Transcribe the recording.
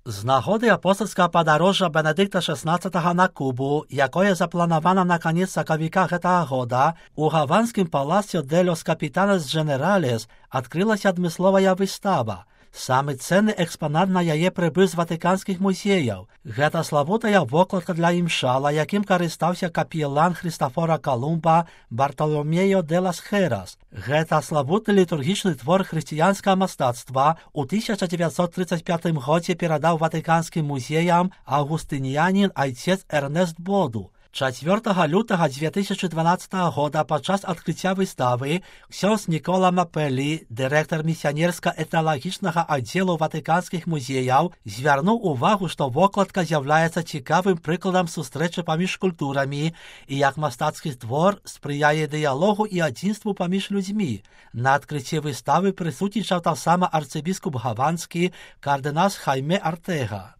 З нагоди апостольського падарожжа Бенедикта XVI на Кубу, якое запланавана на канец сакавіка гэтага года, у гаванскім Паласіо де лос Капітанес Дженералес адкрылася адмысловая выстава. Самы ценны экспанат на яе прыбыў з ватыканскіх музеяў. Гэта славутая вокладка для імшала, якім карыстаўся капелан Хрыстафора Колумба Бартоломео де лас Херас. Гэта славутны літургічны твор хрысціянскага мастацтва у 1935 годзе перадаў ватыканскім музеям аўгустынянін айцец Эрнест Боду. 4 лютага 2012 года падчас адкрыцця выставы ксёндз Нікола Мапелі, дырэктар місіянерска-этналагічнага аддзелу ватыканскіх музеяў, звярнуў увагу, што вокладка з'яўляецца цікавым прыкладам сустрэчы паміж культурамі і як мастацкі твор спрыяе дыялогу і адзінству паміж людзьмі. На адкрыцці выставы прысутнічаў таксама арцыбіскуп гаванскі кардынал Хайме Артега.